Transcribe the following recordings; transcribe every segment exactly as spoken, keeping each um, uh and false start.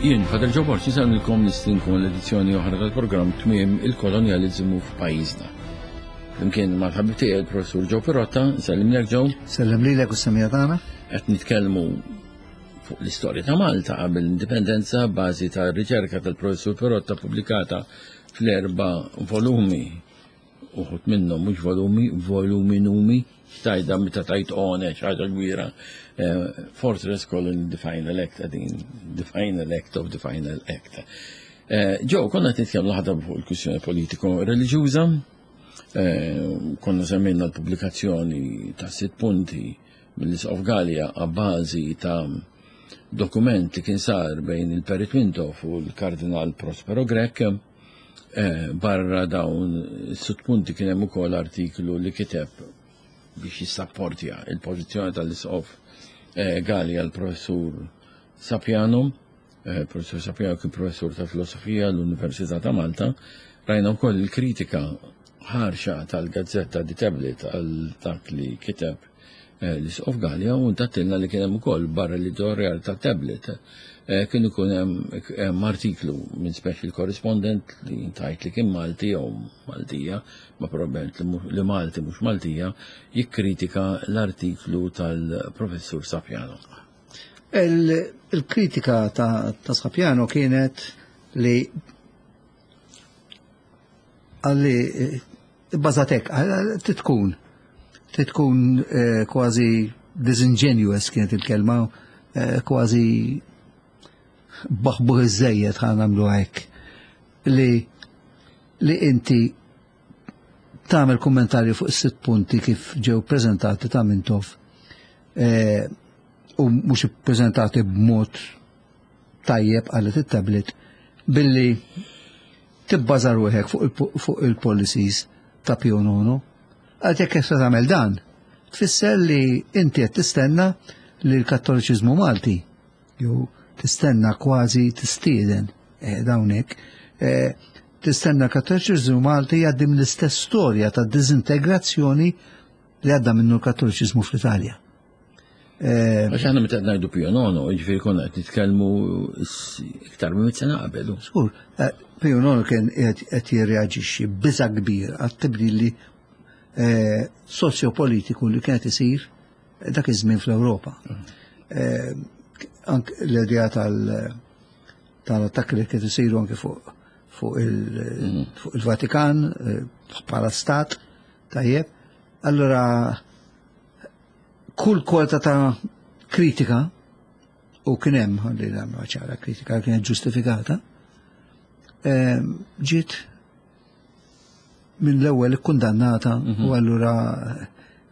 Jien, Father Joe Borg, insellmilkom, nistedinkom l-edizzjoni oħra tal-programm Tmiem il-Kolonjaliżmu f'Pajjiżna. Flimkien mal-ħabib tiegħi il-Professur Joe Pirotta, nsellimlek, Joe. Sellem lilek u s-semmiegħa tagħna. Qed nitkellmu fuq l-istorja ta' Malta qabel l-indipendenza, bażi ta' riċerka tal-Professur Pirotta pubblikata fl-erba' volumi, uħud minnhom mhux volumi, voluminumi, tajda meta tajt one, ħaġa kbira. Eh, Fortress Colony, the Final Act, għadin, the Final Act of the Final Act. Eh, Joe, konna nitkellmu ħadha fuq il-kwistjoni politiko-reliġjuża, eh, konna semmejna l-pubblikazzjoni ta' sitt punti mill-Isqof Galea għabbażi ta' dokument li kien sar bejn il-Perit Mintoff u l-Kardinal Prospero Grech. Eh, barra dawn sitt punti kien hemm ukoll artiklu li kiteb biex jissapportja il-pożizzjoni tal-Isqof eh, Galea l-Professur Sapiano. Eh, Professur Sapiano kien professur ta' filosofija l-Università ta' Malta. Rajna wkoll il-kritika ħarxa tal-gazzetta The Tablet għal dak li kiteb l-Isqof Galea u ntattilna li kien hemm ukoll barra l-editorial ta' Tablet kien ikun hemm artiklu minn special correspondent li tajt li kien Malti jew Maltija, ma probabbilment li Malti mhux Maltija, jikkritika l-artiklu tal-Professur Sapiano. Il-kritika ta', ta Sapiano kienet li għalli bazzatek, titkun, titkun eh, kważi disingenuous kienet il-kelma, eh, kważi baħbuħ iż-żejjed, ħa nagħmlu hekk, li li inti tagħmel kummentarju fuq is-sitt punti kif ġew preżentati ta' Mintoff eh, u mhux ippreżentati b'mod tajjeb, qalet it-Tablet, billi tibbaża ruħek fuq il-policies ta' Pio Nono. Għal jekk se tagħmel dan, tfisser li inti qed tistenna li l-Kattoliċiżmu Malti, jew tistenna, kważi tistieden eh, dawnek, eh, tistenna l-Kattoliċiżmu Malti jgħaddi mill-istess storja ta' dizintegrazzjoni li għadda minnu l-Kattoliċiżmu fl-Italja. Eh, Għax aħna meta ngħidu Pio Nono, jiġifieri konna qed nitkellmu iktar minn sena qabel. Żgur, Pio Nono kien qed jirreaġixxi biża kbir għat-tibdil li soċjopolitiku li kienet isir dak iż-żmien fl-Ewropa. Mm. Anke l-idea tal-attakki li kien isiru anke fuq fuq il-Vatikan eh, bħala stat, tajjeb. Allora, kull kwalità ta' kritika, u kien hemm, ħalli nagħmlu ċara, kritika kienet ġustifikata, eh, ġiet minn l-ewwel ikkundannata mhm. u allura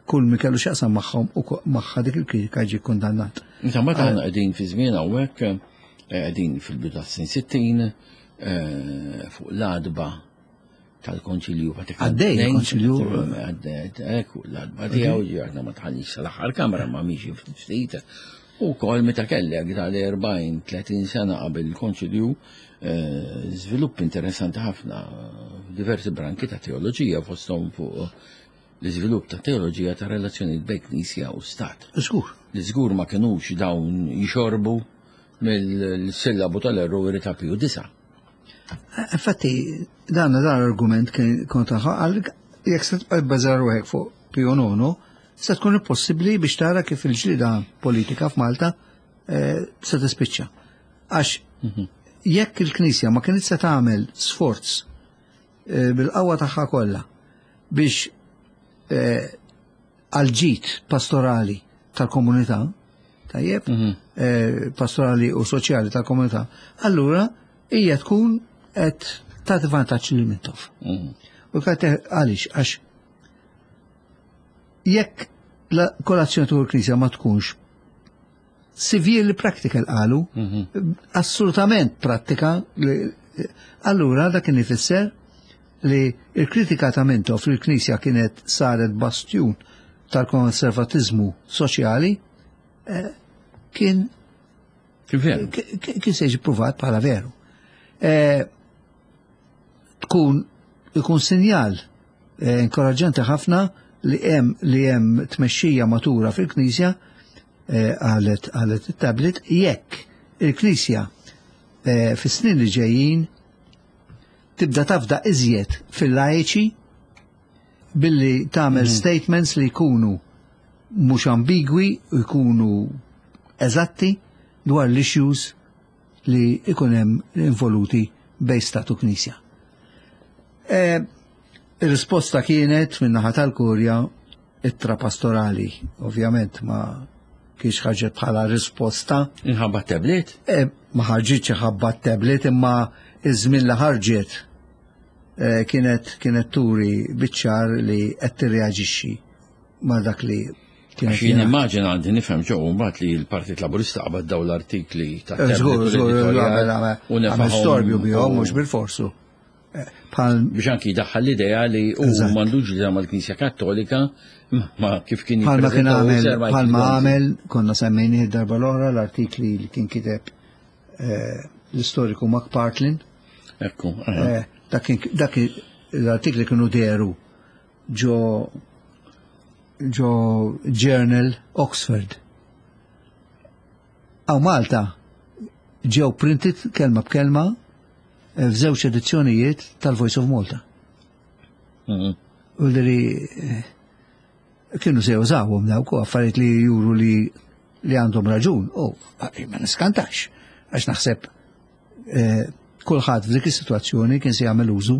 kull mi kellu x'jaqsam magħhom u magħha dik il-kritika ġie kundannat. Insomma, aħna qegħdin fi żmien hawnhekk, eh, qegħdin fil-bidu tas-snin sittin, eh, fuq l-għatba tal-Konċilju Vatikan. Għaddej il-Konċilju. Għaddej, fuq l-għatba tiegħu, aħna ma tħallix sal-aħħar kamra ma miexi ftit. U kol meta kellek tal-erbgħin tletin sena qabel il-Konċilju, eh, żvilupp interessanti ħafna diversi branki ta' teoloġija, fosthom fuq l-iżvilupp ta' teoloġija ta' relazzjoni bejn Knisja u Stat. Żgur. Li żgur ma kinux dawn jixorbu mill-sillabu tal-errori ta' Piju Disa. Infatti, dan dan l-argument kien kontra għal jekk se tibqa' bbażar ruħek fuq Pio Nono, se tkun impossibbli biex tara kif il-ġlida politika f'Malta eh, se tispiċċa. Għax jekk il-Knisja ma kienet se tagħmel sforz eh, bil-qawwa tagħha kollha biex eh, għal-ġid pastorali tal-komunità, tajjeb, eh, pastorali u soċjali tal-komunità, allura hija tkun qed tagħti vantaġġ lil Mintoff. U kate għaliex, għax jekk la kolazzjoni tal knisja ma tkunx severely practical, qalu, assolutament prattika, li- allura dak kien ifisser li il-kritika ta' Mintoff fil-Knisja kienet saret bastjun tal-konservatizmu soċjali eh, kien Kien veru. ki- ki- kien se jiġi pruvat bħala veru. Eh, tkun ikun sinjal eh, inkoraġġanti ħafna li hemm li hemm tmexxija matura fil-Knisja, eh, qalet qalet it-Tablet, jekk il-Knisja eh, fis-snin li ġejjin tibda tafda iżjed fil-lajċi billi tagħmel mm. statements li jkunu mhux ambigwi u jkunu eżatti dwar l-issues li ikun hemm involuti bejn stat u knisja. E, Ir-risposta kienet min-naħa tal-Kurja ittra pastorali, ovvjament ma kienx ħarġet bħala risposta. Inħabba tablet? E, ma ħarġitx ħabba tablet, imma iż-żmien li ħarġet e, kienet kienet turi biċ-ċar li qed tirreaġixxi ma' dak li kienet. Għax jien immaġina, għandi nifhem ġew mbagħad li l-Partit Laburista qabad daw l-artikli ta' Eh, Żgur, tablet u żgur, l-editorjal u għamel nefahom storbju bihom, u- mhux bil-forsu. Eh, Bħal biex anki daħħal l-idea li u Eżatt. m'għandux li mal-Knisja Kattolika, ma kif kien Bħalma kien jippreżenta u għamel, Sir Michael bħalma Gonzi. għamel, konna semmejni darba l-oħra l-artikli li kien kiteb eh, l-istoriku McPartlin. Ekku, aha. Eh, Dak kien- dak l-artikli kienu deru ġo ġo Journal Oxford. Hawn Malta ġew printed kelma b'kelma eh, f'żewġ edizzjonijiet tal-Voice of Malta. Mhm. U li eh, kienu se jużawhom dawk u affarijiet li juru li li għandhom raġun. U ma niskantax, għax naħseb eh, kulħadd f'dik is-sitwazzjoni kien se jagħmel użu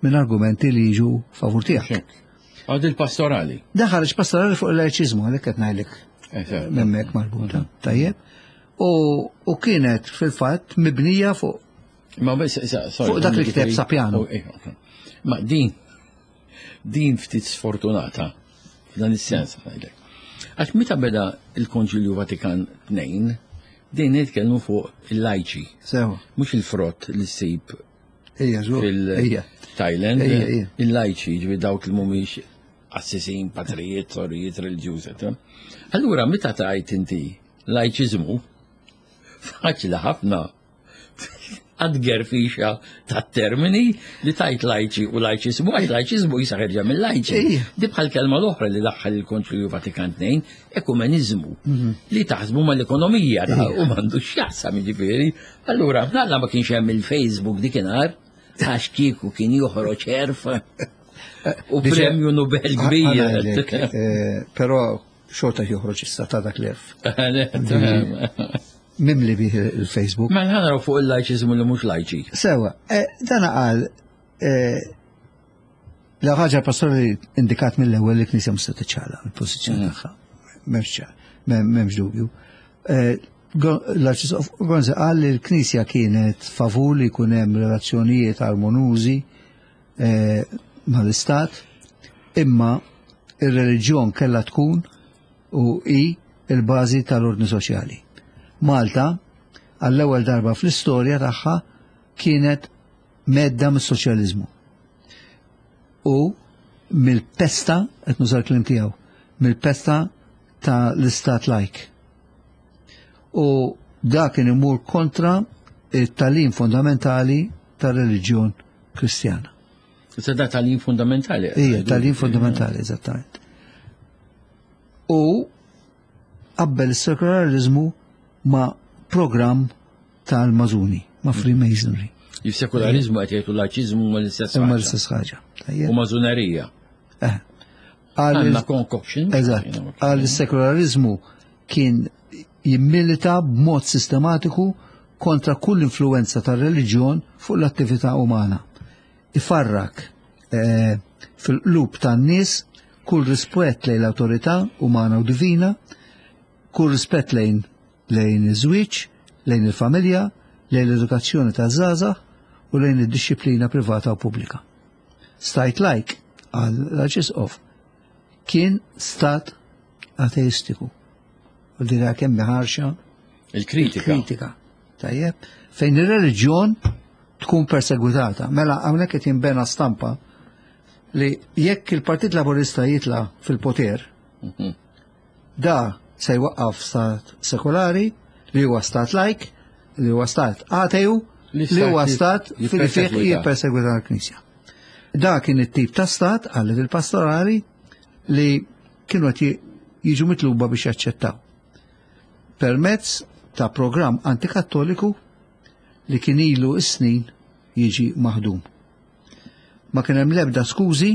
minn argumenti li jiġu favur tiegħek. Għad il-pastorali. Dan ħareġ pastorali fuq il-lajċiżmu, għalhekk qed ngħidlek Eżatt. memmek marbuta. Tajjeb. U, u kienet fil-fatt mibnija fuq Ma bes, sa- sorry, Fuq dak li ġifieri- kiteb Sapiano. Oh, eh, ok. Ma din, din ftit sfortunata, f'dan is-sens ngħidlek. Għax meta beda il-Konċilju Vatikan tnejn, din nitkellmu fuq il-lajċi, sewa. mhux il-frott li ssib Ija, żgur. Ija. fil-Thailand, Ija, ija. il-lajċi, ġifieri dawk li mhumiex assisin, patrijiet, sorijiet, reliġjużi. eccetera. Allura, meta tajt inti lajċiżmu, faċli ħafna għad fixa ta' termini li tajt lajċi u lajċiżmu, għax lajċiżmu jisa ħerġa mill-lajċi. Ija. Di bħal kelma l-oħra li daħħal il-Konċilju Vatikan tnejn, ekumenizmu, li taħsbu mal-ekonomija da, u m'għandu x'jaqsam jiġifieri. Allura, nalla ma kienx hemm il-Facebook dikinhar, għax kieku kien joħroġ erf u Diġa- premju Nobel kbir. Għanajdlek, eh, Però xorta joħroġ issa ta' dak l-erf. Mimli bih il-Facebook. Ma nħanraw fuq il-lajċiżmu li mhux lajċi. Sewa, eh, dan qal eh, la ħaġa pastorali indikat mill-ewwel li knisja mhux se tiċċala il-pożizzjoni tagħha. M'hemmx ċar, m'hemm- m'hemmx dubju. Eh, Go- L-Arċisqof Gonzi qal li l-Knisja kienet favur li jkun hemm relazzjonijiet armonużi eh, mal-Istat, imma ir-reliġjon kellha tkun u hi il-bażi tal-ordni soċjali. Malta, għall-ewwel darba fl-istorja tagħha kienet mhedda mis-soċjaliżmu. U mill-pesta, qed nuża l-kliem tiegħu, mill-pesta ta' l-istat lajk. U dak kien imur kontra it-tagħlim fondamentali tar-reliġjon Kristjana. Issa da tagħlim fundamentali. Ija, tagħlim fundamentali, eżattament. U qabbel is-sekolarizmu ma' programm tal-Mażuni, ma' Freemasonry. Il-sekolarizmu qed jgħidu lajċiżmu ma l-istess Imma ħaġa. l-istess ħaġa. Tajjeb. U mażunerija. Eh. Għal Għandna concoction. Eżatt. Għal is-sekolarizmu kien jimmilita b'mod sistematiku kontra kull influenza tar-reliġjon fuq l-attività umana. Ifarrak eh, fil-qlub tan-nies kull rispett lejn l-awtorità umana u divina, kull rispett lejn lejn iż-żwieġ, lejn il-familja, lejn l-edukazzjoni taż-żgħażagħ u lejn id-dixxiplina privata u pubblika. Stat lajk għal l-Arċisqof kien stat ateistiku. U dira kemm ħarxa Il-kritika. kritika. Tajjeb, fejn ir-reliġjon tkun persegwitata. Mela hawnhekk qed jinbena stampa li jekk il-Partit Laburista jitla fil-poter, Mhm. da se jwaqqaf stat sekolari, li huwa stat lajk, li huwa stat ateju, Li li huwa stat stat fil fih jippersegwita. jippersegwita l-Knisja. Da kien it-tip ta' stat, għallet il-pastorali, li kienu qed jiġu mitluba biex jaċċettaw. Permezz ta' programm antikattoliku li kien ilu s-snin jiġi maħdum. Ma kien hemm l-ebda skużi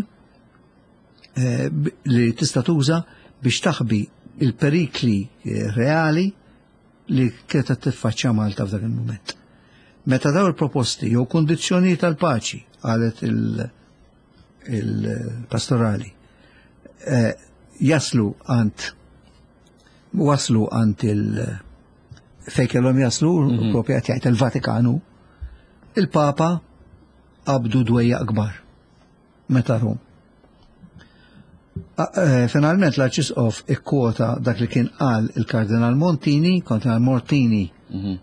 eh, li tista' tuża biex taħbi il-perikli eh, reali li kienet qed tiffaċċja Malta f'dak il-mument. Meta daw il-proposti jew kondizzjoni tal-paċi, qalet il-pastorali, eh, jaslu għand waslu għand il fejn kellhom jaslu, mm -hmm. propja qed jgħid il-Vatikanu, il-Papa qabdu dwejjaq kbar meta rum. Eh, finalment l-Arċisqof ikkwota dak li kien qal il-Kardinal Montini, Kardinal Montini, mm -hmm.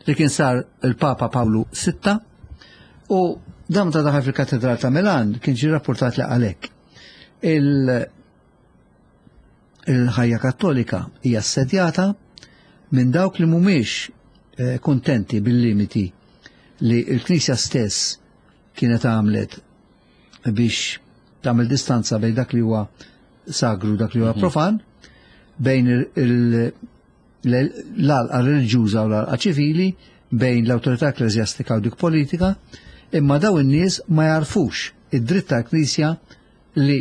li kien sar il-Papa Pawlu Sitta, u dan ta' daħal fil-Katedral ta' Milan kien ġi rapportat li għalek. Il-ħajja kattolika hija assedjata minn dawk li mhumiex eh, kontenti bil-limiti li l-Knisja stess kienet għamlet biex tagħmel distanza bejn dak li huwa sagru, dak li huwa mhm. profan, bejn l-għalqa reliġjuża u l-għalqa ċivili, bejn l-awtorità ekkleżjastika u dik politika, imma daw in-nies ma jarfux id-dritt tal-Knisja li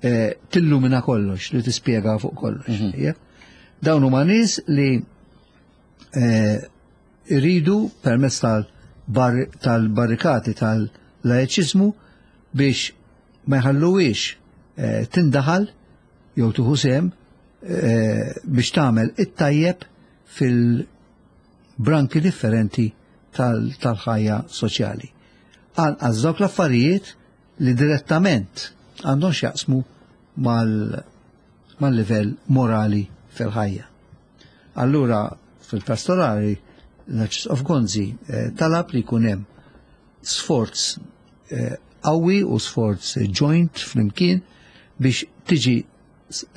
eh, tillumina kollox, li tispjega fuq kollox. Mhm. Dawn huma nies li eh, iridu permezz tal-barrikati tal-laiċiżmu biex ma jħalluwiex eh, tindaħal jew tuħu sehem eh, biex tagħmel it-tajjeb fil-branki differenti tal-ħajja soċjali. Anqas dawk l-affarijiet li direttament għandhom x'jaqsmu mal-livell morali fil-ħajja. Allura fil-pastorali l-Arċisqof Gonzi eh, talab li jkun hemm sforz qawwi u sforz joint flimkien biex tiġi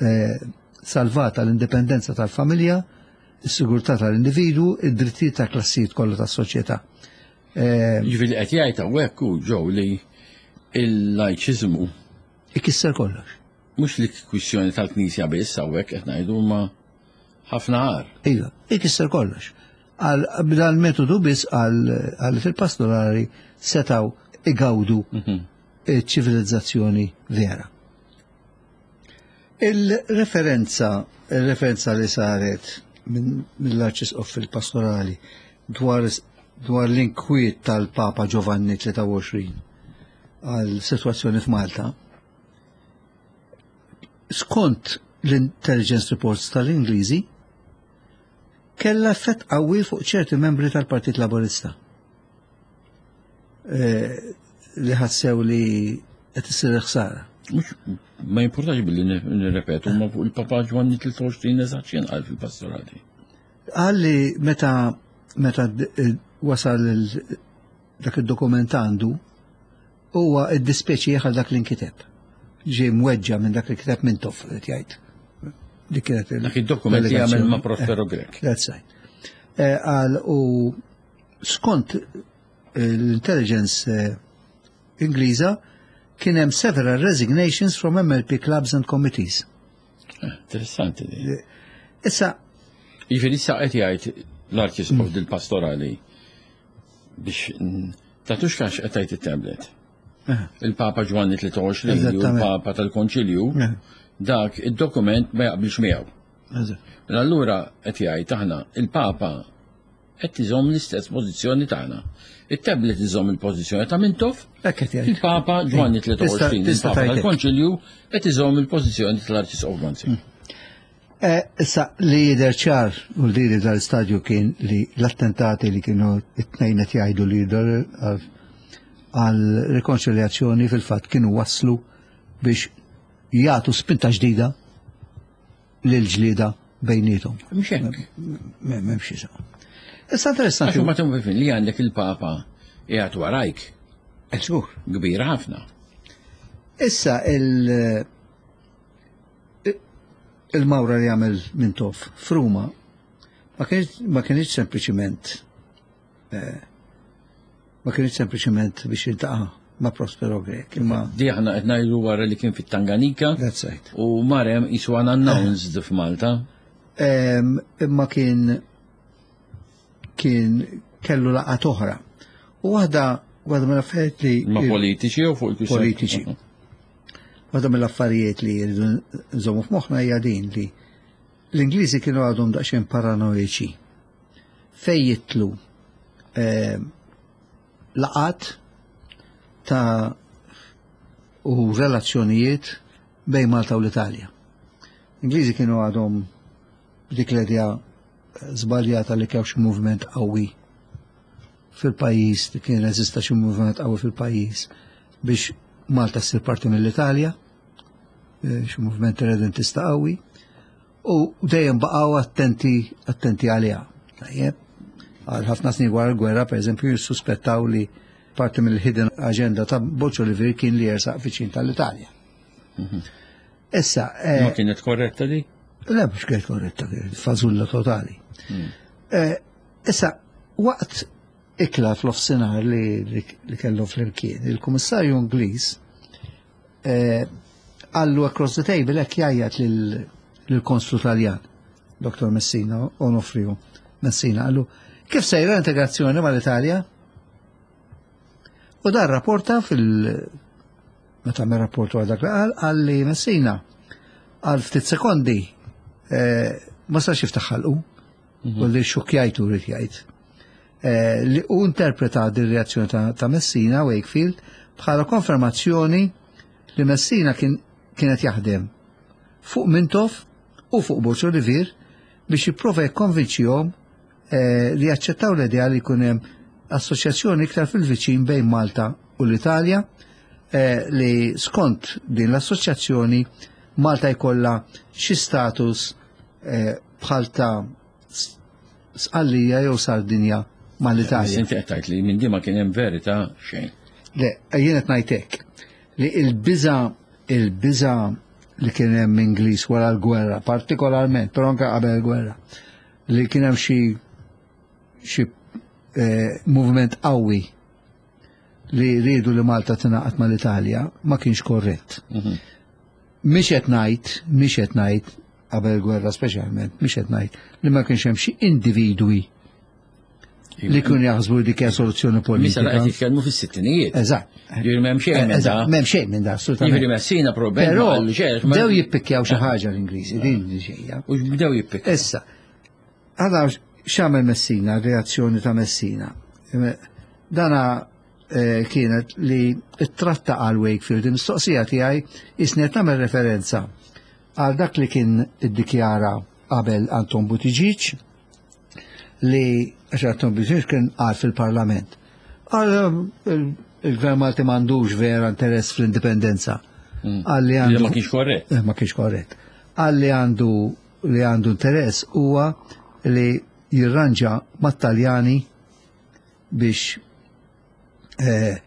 eh, salvata l-indipendenza tal-familja, is-sigurtà tal-individwu, id-drittijiet ta' klassijiet kollha tas-soċjetà. Eh, Ġifieri qed jgħid hawnhekk hu ġew li il-lajċiżmu ikisser kollox. Mhux li kwistjoni tal-Knisja biss, hawnhekk qed ngħidu ma ħafna għar. Iva, ikisser kollox. Għal dal-metodu biss għal fil-pastorali setaw igawdu mhm. ċivilizzazzjoni vera. Il-referenza, il-referenza li saret mill-Arċisqof fil-pastorali dwar dwar l-inkwiet tal-Papa Giovanni tlieta u għoxrin għal situazzjoni f'Malta, skont l-intelligence reports tal-Ingliżi, kella effett qawwi fuq ċerti membri tal-Partit Laburista. Eh, li ħassew li qed issir ħsara. Ma jimportax billi nirrepetu, ma fuq il-Papa Ġwanni tlieta u għoxrin eżatt x'kien qal fil-pastorali. Qal li meta meta wasal dak id-dokument għandu, huwa iddispjaċih għal dak li nkiteb. Ġie mweġġa minn dak li kiteb Mintoff, qed jgħid. Dik kienet dak id-dokument li għamel ma' Prospero Grech. That's right. Eh, qal u skont l-intelligence eh, Ingliża kien hemm several resignations from M L P clubs and committees. Eh, interessanti di. Issa Jiġifieri issa qed jgħid l-Arċisqof dil-pastorali biex tatux kax qed jgħid it-tablet. Il-Papa Ġwanni tlieta u għoxrin u l-Papa tal-Konċilju dak id-dokument ma jaqbilx miegħu. Mela allura qed jgħid aħna il-Papa qed iżomm l-istess pożizzjoni tagħna. Il-tablet iżomm il-pożizzjoni ta' Mintoff, il-Papa Ġwanni tlieta u għoxrin, il-Papa tal-Konċilju, qed iżomm il-pożizzjoni tal-Arċisqof Gonzi. Mm. Eh, issa li jidher ċar u li dal-istadju kien li l-attentati li kienu it-tnejn qed jgħidu li jidher għal rikonċiljazzjoni fil-fatt kienu waslu biex jagħtu spinta ġdida lil ġlieda bejnietom. Mhux hekk. M'hemmx isu. Issa interessanti. Għax ma tumfin li għandek il-Papa qiegħed warajk. Żgur. Kbira ħafna. Issa il- il-mawra li għamel Mintoff f'Ruma ma kienx sempliċiment eh, ma kienx sempliċiment biex jiltaqa' ma' Prospero Grech. Imma Di aħna qed ngħidu wara li kien fit-Tanganika. That's right. U marem jisu unannounced f'Malta. Imma kien kien kellu laqgħat oħra. U waħda waħda mill-affarijiet li Ma politiċi u fuq il-kwistjoni? Politiċi. Waħda mill-affarijiet li rridu nżommu f'moħħna hija din li l-Ingliżi kienu għadhom daqsxejn paranoiċi. Fej jitlu eh, laqat ta' u relazzjonijiet bejn Malta u l-Italja. L-Ingliżi kienu għadhom dik l-idea żbaljata li kien xi movement qawwi fil-pajjiż, li kien eżista xi movement qawwi fil-pajjiż biex Malta ssir parti mill-Italja, eh, xi movement irredentista qawwi, u dejjem baqgħu attenti attenti għaliha. Tajjeb, għal ħafna snin wara l-gwerra, per eżempju, jissuspettaw li parti mill-hidden agenda ta' Borg Olivier kien li jersaq viċin tal-Italja. Issa, eh, Ma kienet korretta di? Le, mhux kienet korretta, kienet fażulla totali. Eh, Issa, waqt ikla fl-offsinar li, li, li kellu fl-imkien, il-kummissarju Ingliż eh, qallu across the table hekk jgħajjat lill-konsul Taljan, Dottor Messina, Onofrio Messina, qallu, "Kif sejra l-integrazzjoni mal-Italja?" U dan rapporta fil- meta me rapportu għal dak li qal, qal li Messina għal ftit sekondi eh, ma setax jiftaħ ħalqu, u li xukjajtu rrid jgħid. Eh, li u interpreta din reazzjoni ta', ta' Messina, Wakefield, bħala konfermazzjoni li Messina kien kienet jaħdem fuq Mintoff u fuq Borg Olivier biex jipprova jikkonvinċihom eh, li jaċċettaw l-idea li jkun hemm assoċjazzjoni iktar fil-viċin bejn Malta u l-Italja, eh, li skont din l-assoċjazzjoni Malta jkollha xi status eh, bħal ta' S- Sqallija jew Sardinja mal-Italja. Inti qed tgħid li minn di ma kien hemm verità xejn. Le, jien qed ngħidlek li il-biża il-biża li kien hemm Ingliż wara l-gwerra, partikolarment, però anke qabel il-gwerra, li kien hemm xi xi eh, movement qawwi li rridu li Malta tingħaqad mal-Italja ma kienx korrett. Mhix qed ngħid, mhix qed ngħid qabel il-gwerra speċjalment, mhix qed ngħid li ma kienx hemm xi individwi li kienu jaħsbu li dik hija soluzzjoni Misa politika. qed jitkellmu fis-sittinijiet. Eżatt. Ġifieri m'hemm xejn minn da. Eżatt, m'hemm xejn minn da, assolutament. Jiġifieri Messina probabbilment Però ma qallu xejn, ma- bdew jippikjaw xi ħaġa l-Ingliżi, din li ġejja. U bdew jippikjaw. Issa, għada x'għamel Messina, reazzjoni ta' Messina? Dana eh, kienet li tratta għal Wakefield, il-mistoqsija tiegħi isnet nagħmel referenza għal dak li kien iddikjara qabel Anton Buttigieg, li għax Anton Buttigieg kien qal fil-Parlament. Qal il- il-Gvern Malti m'għandux vera interess fl-indipendenza. Qal li Li għandu ma kienx korrett. Eh, ma kienx korrett. Qal li għandu li għandu interess huwa li jirranġa mat-Taljani biex eh,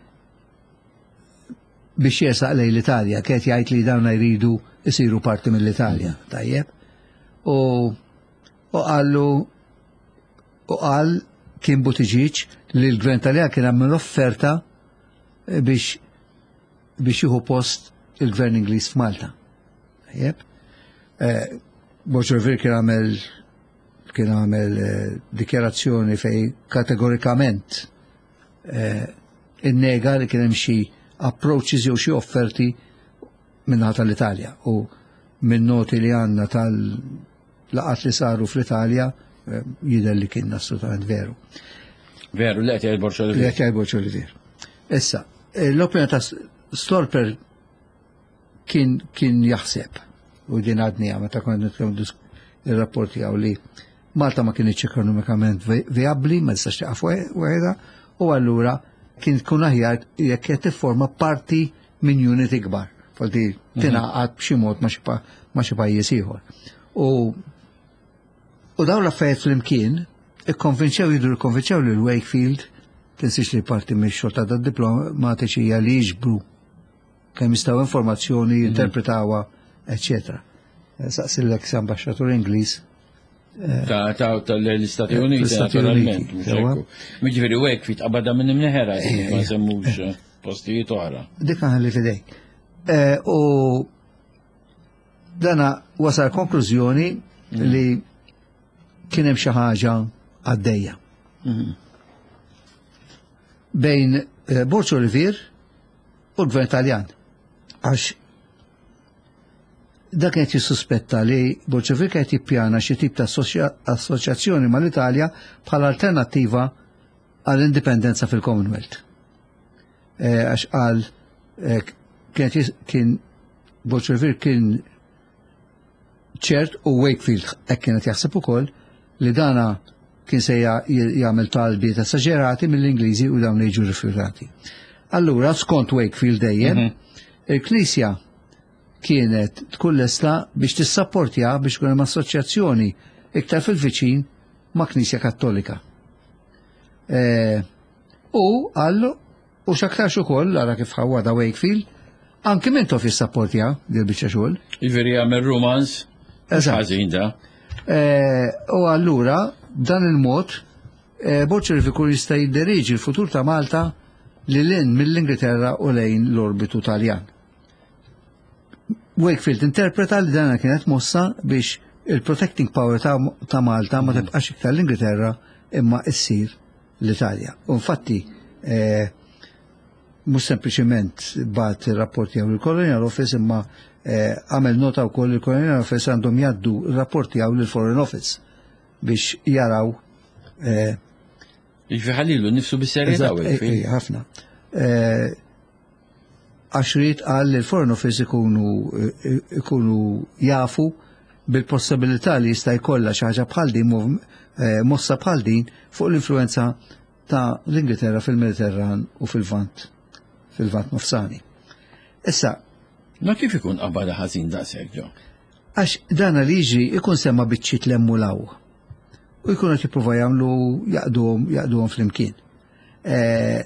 biex jersaq lejn l-Italja, kiet jgħid li dawn jridu jisiru parti mill-Italja, tajjeb. U u qallu u qal kien Buttigieg li l-Gvern Taljan kien għamel offerta eh, biex biex jieħu post il-Gvern Ingliż f'Malta. Tajjeb. Eh, Borg Olivier kien għamel kien għamel eh, dikjarazzjoni fej kategorikament eh, innega li kien hemm xi approaches jew xi offerti minnaħa tal-Italja, u minn noti li għandna tal-laqat li saru fl-Italja eh, jidher li kien assolutament veru. Veru, li qed jgħid Borg Li Olivier. qed jgħid Borg Olivier. Issa, eh, l-opinjoni ta' Storper kien kien jaħseb, u din għadnija meta konna nitkellmu disk- il-rapport tiegħu, li Malta ma kienx ekonomikament vi- vijabbli, ma tistax tieqaf waħedha, u allura kien tkun aħjar jekk qed tifforma parti minn unit ikbar. Falti tingħaqad b'xi mod ma' xi pa- ma' xi pajjiż ieħor. U u dawn l-affarijiet flimkien ikkonvinċew, jidru ikkonvinċew lil Wakefield. Tinsiex li parti mix-xogħol ta' diplomatiċi hija li jiġbru kemm jistgħu informazzjoni, jinterpretawha, eċċetera. Saqsi l-ex ambaxxatur Ingliż. Ta' ta' tal-Istati Uniti, Fl-Istati naturalment. Uniti, mhux sewa. hekk. Jiġifieri Wakefield qabadha minn imneħera, ma semmux eh, postijiet oħra. Dik li fidejk. Eh, U dana wasal konklużjoni li kien hemm xi ħaġa għaddejja. bejn eh, Borg Olivier u l-gvern Taljan. Għax dak qed jissuspetta li Borg Olivier qed jippjana xi tip ta' assoċjazzjoni mal-Italja bħala alternattiva għall-indipendenza fil-Commonwealth. Eh, għax qal eh, kien Borg Olivier kien ċert u Wakefield hekk kienet jaħseb ukoll li dana kien se jagħmel talbiet esaġerati mill-Ingliżi u dawn jiġu rifjutati. Allura, skont Wakefield dejjem, mhm. il-Knisja kienet tkun lesta biex tissapportja biex tkun hemm assoċjazzjoni iktar fil-viċin ma' Knisja Kattolika. E, u għallu, u x'aktarx ukoll, ara kif ħawwada Wakefield, anki Mintoff jissapportja dil biċċa xogħol. Jiġifieri jagħmel romance. Ħażin da. E, u allura, b'dan il-mod, e, Borg ikun jista' jidderiġi l-futur ta' Malta lil hinn mill-Ingilterra u lejn l-orbitu Taljan. Wakefield interpreta li dana kienet mossa biex il-protecting power ta', ta Malta ma mhm. tibqax iktar l-Ingilterra imma issir l-Italja. U infatti, eh, mhux sempliċement bagħat il-rapport tiegħu il-Colonial Office, imma eh, għamel nota wkoll il-Colonial Office għandhom jgħaddu il-rapport tiegħu lill-Foreign Office biex jaraw. Eh, Jiġifieri ħallilu nifsu bis-serjetà. Ħafna. Għax ried qal li l-Foreign Office ikunu ikunu jafu bil-possibilità li jista' jkollha xi ħaġa bħal din, mossa bħal din fuq l-influenza ta' l-Ingilterra fil-Mediterran u fil-Lvant fil-Lvant Nofsani. Issa. Ma kif ikun qabada ħażin daqshekk ġo? Għax dana li jiġri ikun semma biċċiet 'l hemm u 'l hawn. U jkunu qed jippruvaw jagħmlu jgħaqqduhom jgħaqqduhom flimkien. Eh,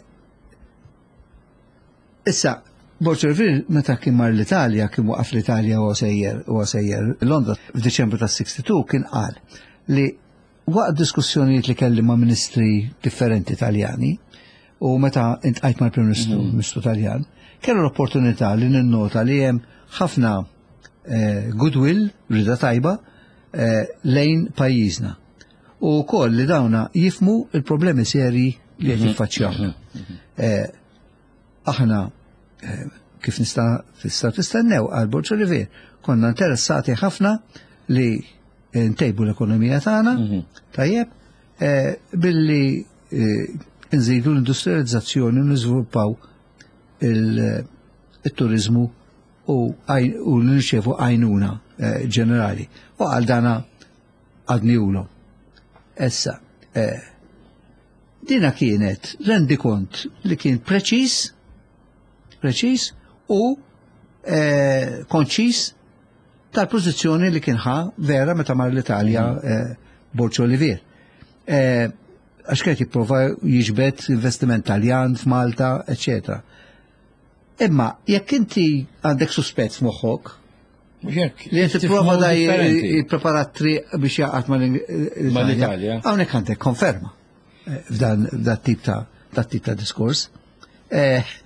issa, Borg Olivier meta kien mar l-Italja, kien waqaf l-Italja u sejjer u sejjer Londra f'Diċembru ta' sitta u sittin, kien qal li waqt diskussjonijiet li kelli ma' ministri differenti Italjani u meta iltqajt mal-Prim Ministru, mm Ministru Taljan, kellu l-opportunità li ninnota li hemm ħafna eh, goodwill, rida tajba, eh, lejn pajjiżna. U koll li dawna jifhmu il-problemi seri li qed mhm. jiffaċċjaw. Mhm. Mhm. Eh, aħna kif nista' tista' tistennew, għal Borg Olivier, konna interessati ħafna li ntejbu l-ekonomija tagħna, tajjeb, billi nżidu l-industrializzazzjoni u niżviluppaw il-turizmu u nirċevu għajnuna ġenerali. U għal dana għadniulu. Issa, dina kienet rendikont li kien preċis, preċis u konċis tal-pożizzjoni li kien ħa vera meta mar l-Italja mm. Borg Olivier. Għax kien jipprova jiġbed investiment Taljan f'Malta, eccetera. Imma jekk inti għandek suspett f'moħħok, li inti prova da jipprepara triq biex jgħaqqad mal-Italja. Hawnhekk għandek konferma eh, f'dan tip ta' dat tip ta' diskors. Eh,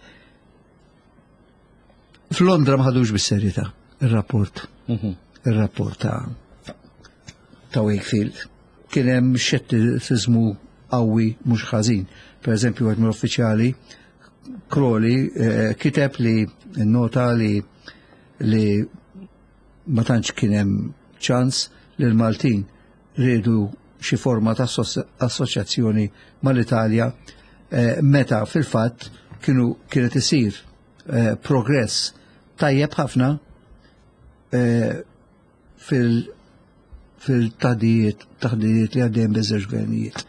F'Londra ma ħadux bis-serjetà ir-rapport. Mhm. Ir-rapport ta' ta' Wakefield. Kien hemm xettiżmu qawwi mhux ħażin. Per eżempju, wieħed mill-uffiċjali Crowley eh, kiteb li nota li li ma tantx kien hemm ċans li l-Maltin riedu xi forma ta' assoċjazzjoni mal-Italja eh, meta fil-fatt kienu kienet isir eh, progress tajjeb ħafna eh, fil- fil-taħdijiet taħdijiet li għaddejjem biż-żewġ gvernijiet.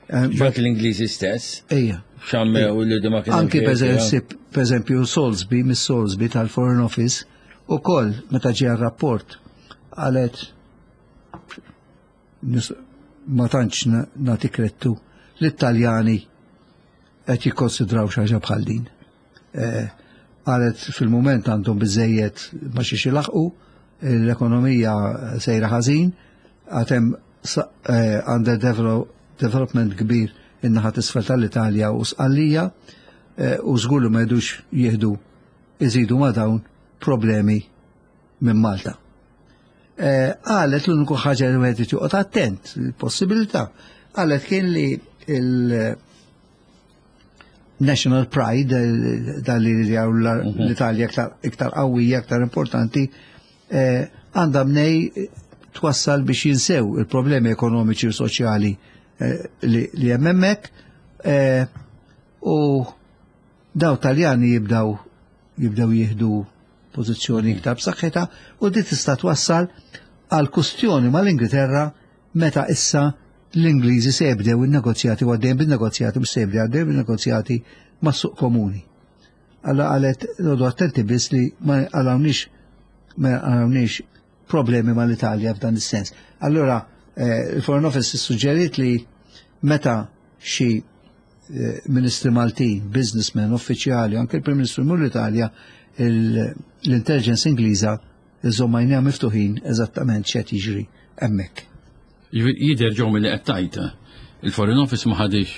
Dak l-Ingliżi stess? Ejja. Xammew li ma kien. Anki per eżempju Salisbury, Miss Salisbury tal-Foreign Office, u koll meta ġie rapport qalet ma tantx nagħti krettu l-Italjani qed jikkonsidraw xi ħaġa bħal din. Eh, qalet fil-moment għandhom biżejjed ma xiex ilaħqu, l-ekonomija sejra ħażin, għad hemm eh, under development kbir in-naħa t'isfel tal-Italja u Sqallija eh, u żgur li ma jridux jieħdu iżidu ma dawn problemi minn Malta. Eh, qalet l-uniku ħaġa li wieħed joqgħod attent, il-possibilità, qalet kien li national pride, eh, dan li jaraw l-Italja iktar iktar qawwija, iktar importanti, eh, għandha mnejn twassal biex jinsew il-problemi ekonomiċi u soċjali eh, li li hemm hemmhekk eh, u daw Taljani jibdaw jibdew jieħdu pożizzjoni iktar b'saħħitha u di tista' twassal għal kustjoni mal-Ingilterra meta issa l-Ingliżi se jibdew in-negozjati u għaddejjem bin-negozjati, mhux se jibdew, għaddejjem bin-negozjati mas-suq komuni. Alla qalet noqogħdu attenti biss li ma għalawniex ma għalawniex problemi mal-Italja f'dan is-sens. Allora eh, il-Foreign Office suġġeriet li meta xi eh, ministri Maltin, businessmen, uffiċjali, anke il-Prim Ministru jmur l-Italja, il- l-intelligence Ingliża iżomm għajnejha miftuħin eżattament x'qed jiġri hemmhekk. Jidher ġew mill-li qed tgħid, il-Foreign Office ma ħadix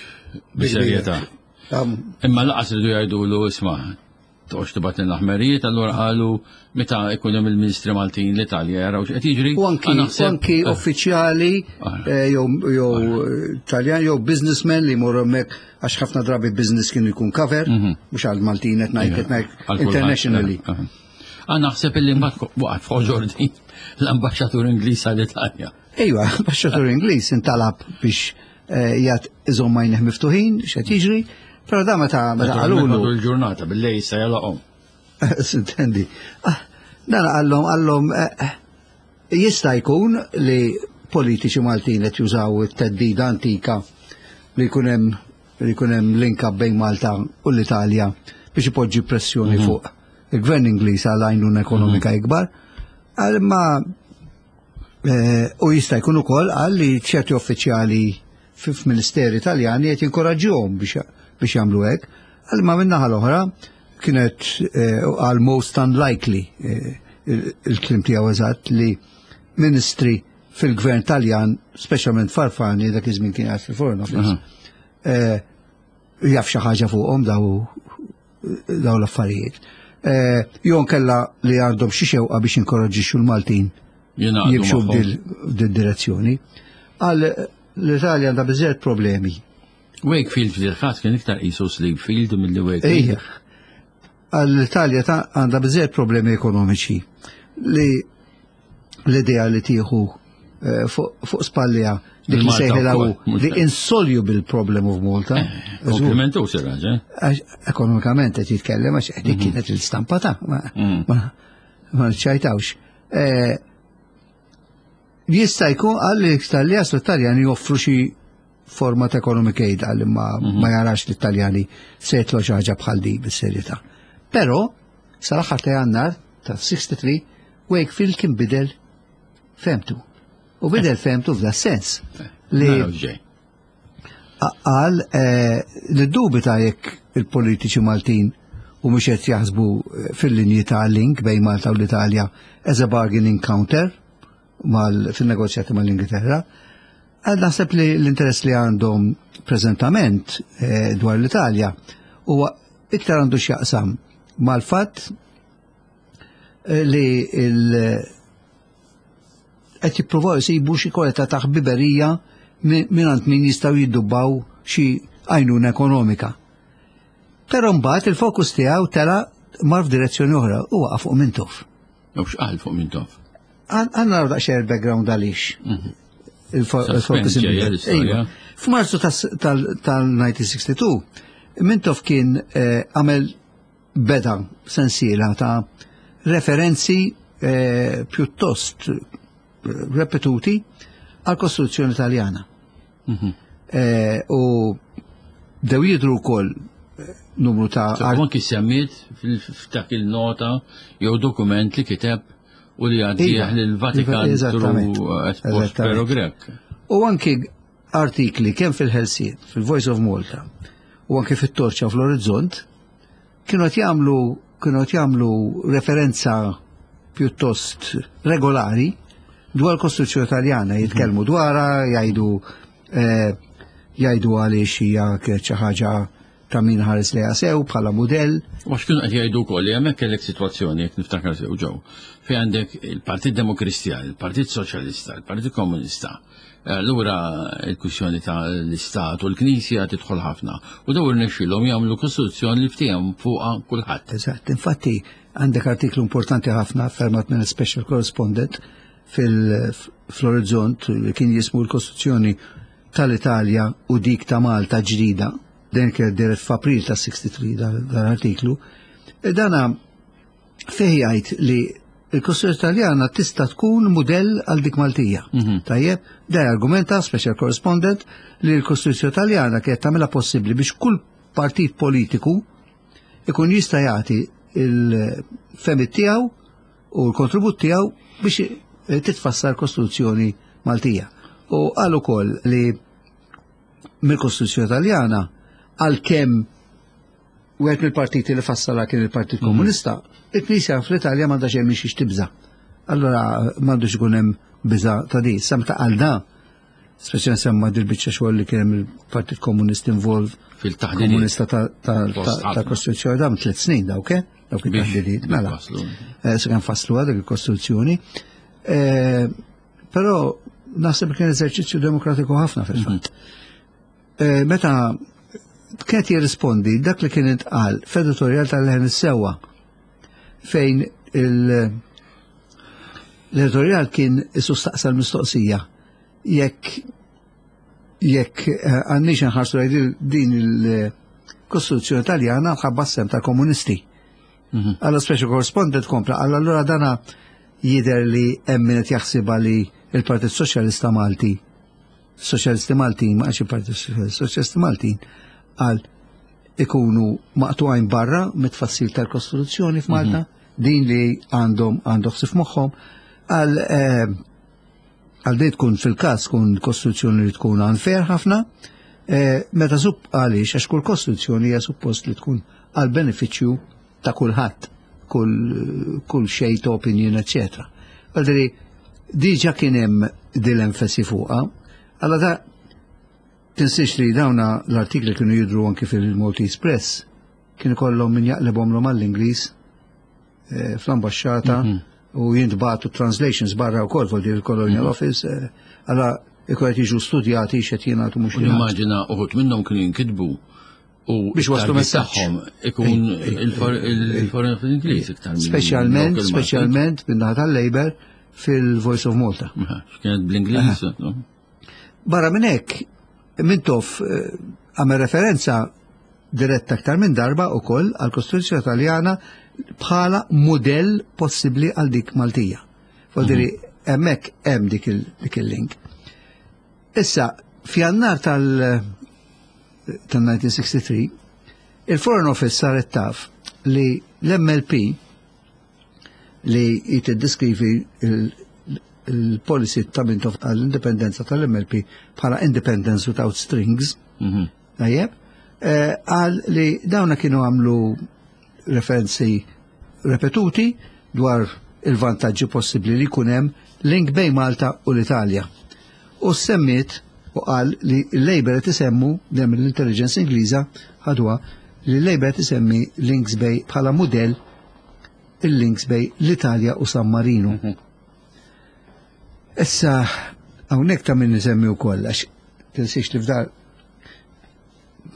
bis-serjetà. Imma lanqas ridu jgħidulu, "Isma', toqgħodx tibgħat l-aħmerijiet," allura qalu meta ikun hemm il-Ministri Maltin l-Italja jaraw x'qed jiġri. U anki, Naħseb- anki uffiċjali Ah. eh, jew jew Taljan jew businessmen li jmorru hemmhekk, għax ħafna drabi business kienu jkun cover, mhux għal Maltin qed ngħid, qed ngħid Għal kulħadd. internationally. Eh, eh. Għan naħseb illi mbagħad waqgħet f'ħoġor din l-ambaxxatur Ingliż għall-Italja. Ejwa, ambaxxatur Ingliż intalab biex eh, jgħat iżomm għajnejh miftuħin x'qed jiġri, però da meta meta qalulu Il-ġurnata bil-lejl se jalaqhom. Sintendi. Ah, dan għallhom għallhom eh, eh, jista' jkun li politiċi Maltin qed jużaw it-theddida antika li jkun hemm li jkun hemm link up bejn Malta u l-Italja biex ipoġġi pressjoni fuq il-gvern Ingliż għal għajnuna ekonomika ikbar. Għal ma eh, u jista' jkun ukoll għal li ċerti uffiċjali f'ministeri Italjani qed jinkoraġġuhom biex biex jagħmlu hekk. Għal ma min-naħa l-oħra kienet eh, għal most unlikely, eh, il- il-kliem tiegħu eżatt, li ministri fil-gvern Taljan, speċjalment Fanfani, dak iż-żmien kien qiegħed fil-Foreign Office, eh, jaf xi ħaġa fuqhom daw daw l-affarijiet. Eh, Jon kella li għandhom xi xewqa biex inkoraġġixxu l-Maltin Jingħaqdu jimxu magħhom. f'dil direzzjoni. Għal l-Italja għandha biżżejjed problemi. Wakefield fil-ħas kien iktar qisu Sleepfield mill-li Wakefield. Ejja. Għal l-Italja ta' għandha biżżejjed problemi ekonomiċi li l-idea li tieħu eh, fuq fuq spallija dik li Il-Malta sejħilha wkoll, mhux the hekk. insoluble problem of Malta. Żgur. Komplimentu siraġ, eh? Għax ekonomikament qed jitkellem, għax dik kienet l-istampa ta' ma Mm. ma ma nċajtawx. Eh, Jista' jkun għal li l-Italja l-Italjani joffru xi forma ta' economic aid, għal ma ma jarax l-Italjani se jitlu xi ħaġa bħal di bis-serjetà. Però sal-aħħar ta' Jannar ta' sittiħa u sittin Wakefield kien bidel fehmtu. U bidel fehmtu f'da sens li Naraw ġej. Qal eh, li dubita jekk il-politiċi Maltin u mhux qed jaħsbu eh, fil-linji ta' link bejn Malta u l-Italja as a bargaining counter mal fil-negozjati mal-Ingilterra. Għal naħseb li l-interess li għandhom preżentament eh, dwar l-Italja huwa iktar għandu x'jaqsam mal-fatt eh, li il- qed jippruvaw jsibu xi kwalità ta' ħbiberija mingħand min jistgħu jiddubbaw xi għajnuna ekonomika. Però mbagħad il-fokus tiegħu tela mar f'direzzjoni oħra u waqa' fuq Mintoff. U x'qal fuq Mintoff? Għandna naraw daqsxejn il-background għaliex. Il-fo- Suspense Il-fokus ġejja inbidel. l-istorja. Ejwa. F'Marzu tas- tal-elf disa' mija u sitta u sittin Mintoff kien eh, għamel beda sensiela ta' referenzi eh, pjuttost eh, repetuti għal Kostituzzjoni Taljana. Eh, U dew jidru wkoll eh, numru ta' So, anki semmiet fil- f'dak il-nota jew dokument li kiteb u li għaddieħ Iva, lill-Vatikan eżattament. through Espost Eżattament. Pero Grech. U anki artikli kemm fil-Ħelsien, fil-Voice of Malta, u anki fit-Torċa, fl-Orizzont, kienu qed jagħmlu kienu qed jagħmlu referenza pjuttost regolari dwar l-Kostituzzjoni Taljana, jitkellmu dwarha, jgħidu eh, jgħidu għaliex hija kienet xi ħaġa ta' min ħares li sew bħala mudell. U għax kienu qed jgħidu wkoll li hemmhekk kellek sitwazzjoni, jekk niftakar sew ġew, fejn għandek il-Partit Demokristjan, il-Partit Soċjalista, il-Partit Komunista. Allura il-kwistjoni ta' l-Istat u l-Knisja tidħol ħafna. U daw irnexxielhom jagħmlu kostituzzjoni li ftehom fuqha kulħadd. Eżatt, infatti għandek artiklu importanti ħafna fermat minn special correspondent fil-Orizzont li kien jismu l-Kostituzzjoni tal-Italja u dik ta' Malta ġdida. Den kien deret f'April ta' sitta u sittin dal-artiklu. E dana fih jgħid li il-Kostituzzjoni Taljana tista' tkun mudell għal dik Maltija. Tajjeb, da argumenta special correspondent li l-Kostituzzjoni Taljana kienet tagħmilha possibbli biex kull partit politiku ikun jista' jagħti il-fehmiet tiegħu u l-kontribut tiegħu biex titfassal Kostituzzjoni Maltija. U qal ukoll li mill-Kostituzzjoni Taljana, għalkemm wieħed mill-partiti li fassala kien il-Partit Komunista, il-Knisja fl-Italja m'għandha xejn minn xiex tibża. Allora m'għandux ikun hemm biża ta' di. Sa meta qal da, speċjalment semma dil-biċċa xogħol li kien hemm il-Partit Komunist involved fil-taħdidiet. Komunista ta' ta' Post ta' ħafna. Kostituzzjoni da tliet snin dawk, eh? Dawk Biex it-taħdidiet, mela. waslu. Eh, Se kien faslu dik il-Kostituzzjoni. Eh, Però naħseb kien eżerċizzju demokratiku ħafna fil-fatt. Eh, Meta kienet jirrispondi dak li kien intqal f'editorial tal-Leħen is-Sewwa, fejn il- l-editorial kien sostaqsa l-mistoqsija jekk jekk eh, għandniex nħarsu lejn din il-Kostituzzjoni Taljana ħabba s-sehem tal-komunisti. Alla special correspondent kompla, għalla allura dana jider li hemm min qed jaħsibha li il-Partit Soċjalista Malti, Soċjalisti Maltin, ma għax il-Partit Soċjalista, Soċjalisti Maltin, għal ikunu maqtugħin barra mit-tfassil tal-Kostituzzjoni f'Malta, din li għandhom għandhom ħsieb moħħhom, għal eh, għal din tkun fil-każ tkun kostituzzjoni li tkun unfair ħafna, eh, meta supp għaliex għax kull kostituzzjoni hija suppost li tkun għal benefiċċju ta' kulħadd, kull kull shade opinion, eccetera. Għaldri, diġa kien hemm dil-enfasi fuqha, għalla da tinsiex li dawna l-artikli kienu jidru anki fil-Maltese Press, kienu kollhom min jaqlebhom għall-Ingliż eh, fl-ambasċata u jintbagħtu translations barra wkoll fuq il-Colonial Office, eh, għalla ikun qed jiġu studjati x'qed jingħatu mhux U jingħatu. nimmaġina uħud minnhom kienu jinkitbu u Biex waslu it-target messaġġ. tagħhom ikun il-foreign fl-Ingliż iktar minn Speċjalment, local market. speċjalment min-naħa tal-Labour fil-Voice of Malta. Aha, kienet bl-Ingliż, no? Barra minn hekk, Mintoff eh, għamel referenza diretta aktar minn darba ukoll għal Kostituzzjoni Taljana bħala modell possibbli għal dik Maltija. Fodiri, hemmhekk hemm dik il- dik il-link. Issa, f'Jannar tal- tal-elf disa' mija u sitta u sittin, il-Foreign Office saret taf li l-M L P li jitiddeskrivi il-policy ta' Mintoff għall-indipendenza tal-M L P bħala independence without strings, Mhm. tajjeb, eh, għal li dawna kienu għamlu referenzi repetuti dwar il-vantaġġi possibbli li jkun hemm link bejn Malta u l-Italja. U semmiet u qal li l-Labour qed isemmu dem l-intelligence Ingliża ħadwa li l-Labour qed isemmi links bejn bħala mudell il-links bejn l-Italja u San Marino. Issa, hawnhekk ta' min nisemmi wkoll għax tinsiex li f'dar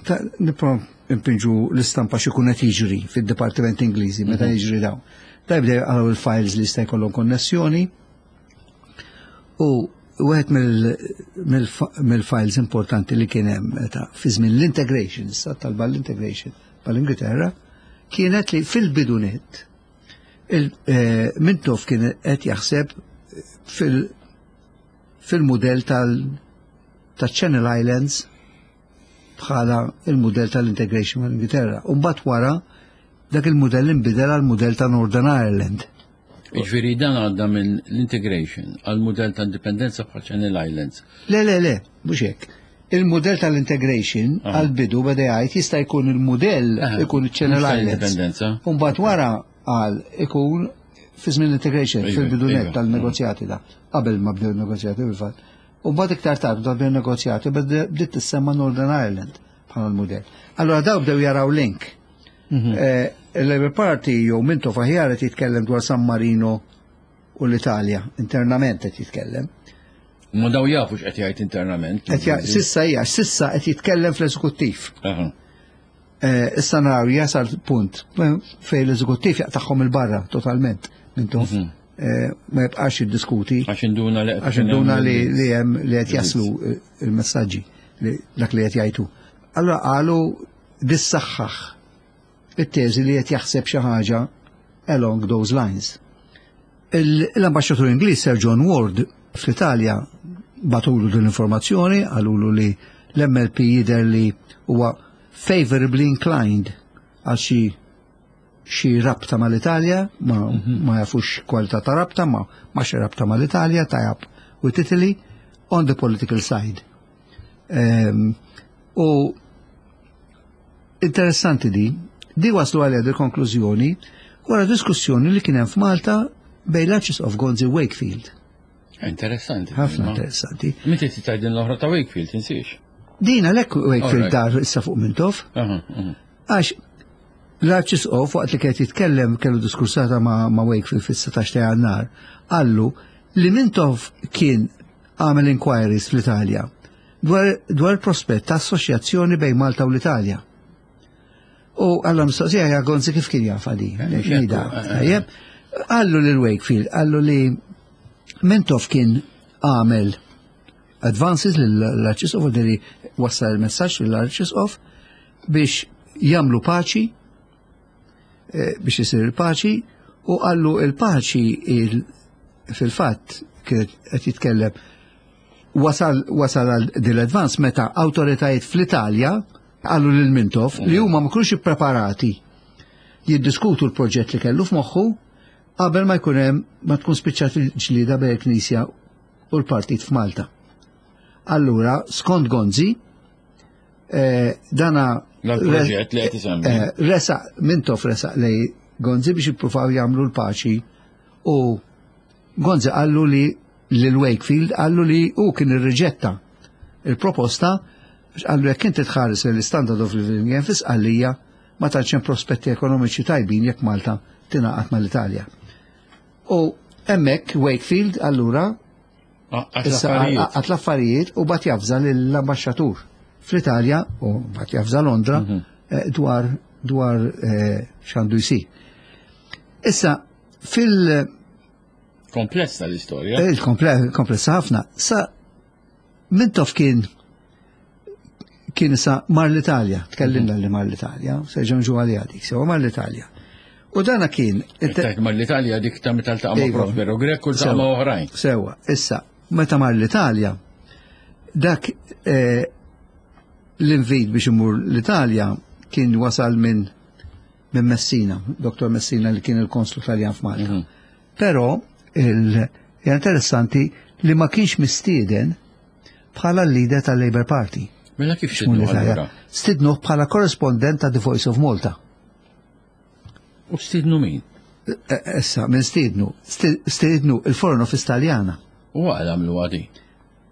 ta' nipro impinġu l-istampa x'ikun qed jiġri fid-Dipartiment Ingliżi meta jiġri dawn. Da jibdew jaqraw il-files li jista' jkollhom konnessjoni u wieħed mill-files importanti li kien hemm meta fi żmien l-integration, issa talba l-integration mal-Ingilterra, kienet li fil-bidunet eh, Mintoff kien qed jaħseb fil- fil-mudell tal ta' Channel Islands bħala il-mudell tal-integration mal-Ingilterra. U mbagħad wara dak il-mudell inbidel għal mudell ta' Northern Ireland. Ġifieri dan għadda minn l-integration għal mudell ta' indipendenza bħal Channel Islands. Le, le, le, mhux hekk. Il-mudell tal-integration Aha. għal-bidu beda jgħid jista' jkun il-mudell Aha, ikun il-Channel mhux Islands. tal-indipendenza. U mbagħad wara għal ikun fi żmien l-integration, Iva, fil-bidu net iva. tal-negozjati da. Qabel ma bdew negozjati fil-fatt. U mbagħad iktar tard meta bdew negozjati bdiet tissemma Northern Ireland bħala l-modell. Allora daw bdew jaraw link. Mhm. Eh, Il-Labour Party jew Mintoff aħjar qed jitkellem dwar San Marino u l-Italja, internament qed jitkellem. Ma daw jafu x'qed jgħid internament. Qed ja- Sissa hija, sissa qed jitkellem fl-eżekuttiv. Aha. Eh, Issa naraw jasal punt fejn l-eżekuttiv jaqtagħhom il-barra totalment Mintoff. Mhm. Eh, Ma jibqax jiddiskuti Għax induna li għax induna li li hemm li qed jaslu eh, il-messaġġi li dak li qed jgħidu. Allora qalu dissaħħaħ it-teżi li qed jaħseb xi ħaġa along those lines. Il- L-ambaxxatur Ingliż Sir John Ward fl-Italja bagħtulu din l-informazzjoni, qalulu li l-M L P jidher li huwa favorably inclined għal xi xi rabta mal-Italja, ma, ma jafux kwalità ta' rabta, ma, ma xi rabta mal-Italja, tie-up with Italy on the political side. Um, u interessanti di, di waslu għalija di konklużjoni wara diskussjoni li kien hemm f'Malta bejn l-Arċisqof Gonzi Wakefield. Interessanti. Ħafna Ma- interessanti. Meta tgħid din l-oħra ta' Wakefield, tinsiex. Din għalhekk Wakefield Alright. dar issa fuq Mintoff, Aha, aha. għax l-Arċisqof waqt li kienet jitkellem kellu diskursata ma', ma Wakefield fis-sittax ta' Jannar, qallu li Mintoff kien għamel inquiries fl-Italja dwar, dwar il-prospett ta' assoċjazzjoni bejn Malta u l-Italja. U għalla mistoqsija ja Gonzi kif kien jaf għadi. Eh, eh, Tajjeb, qallu lil Wakefield, qallu li Mintoff kien għamel advances l-Arċisqof, li wassal il-messaġġ l-Arċisqof biex jagħmlu paċi, eh, biex isir il-paċi, u qallu il-paċi il- fil-fatt kien qed jitkellem wasal wasal għal dil-advance meta awtoritajiet fl-Italja qallu lil Mintoff li huma ma kienux ippreparati jiddiskutu l-proġett li kellu f'moħħu qabel ma jkun hemm ma tkun spiċċat il-ġlida bejn il-Knisja u l-partit f'Malta. Allura, skont Gonzi, eh, dana Dal-proġett li qed isemmi. eh, resaq, Mintoff resaq lej Gonzi biex jippruvaw jagħmlu l-paċi u Gonzi qallu li lil Wakefield qallu li hu kien irriġetta il-proposta, qallu jekk inti tħares l-standard of living hemm fi Sqallija, ma tantx hemm prospetti ekonomiċi tajbin jekk Malta tingħaqad mal-Italja. U hemmhekk Wakefield allura Ah, għat issa l-affarijiet. għat l-affarijiet u bagħat javża lill-ambaxxatur fl-Italja u bagħat javża Londra Mhm. eh, dwar dwar eh, x'għandu jsir. Issa fil- Komplessa l-istorja. Il-komplessa ħafna. Sa Mintoff kien kien issa mar l-Italja, tkellimna li mar l-Italja, se ġonġu għalija dik, sewa mar l-Italja. U dana kien Tajt mar l-Italja dik ta' meta ltaqa' ma' Iva. Prospero Grech u ltaqa' Sewa. ma' oħrajn. Sewa, issa, meta mar l-Italja, dak eh, l-invit biex imur l-Italja kien wasal minn minn Messina, Dottor Messina li kien il-konslu Taljan f'Malta. Mhm. Però il hija interessanti li ma kienx mistieden bħala l-leader tal-Labour Party. Mela kif Mur xidnu l-Italja. allura? Stidnuh bħala korrespondent ta' The Voice of Malta. U stidnu min? E- Issa, minn stidnu, sti- stidnu il-Foreign Office Taljana. U għal għamlu għadi.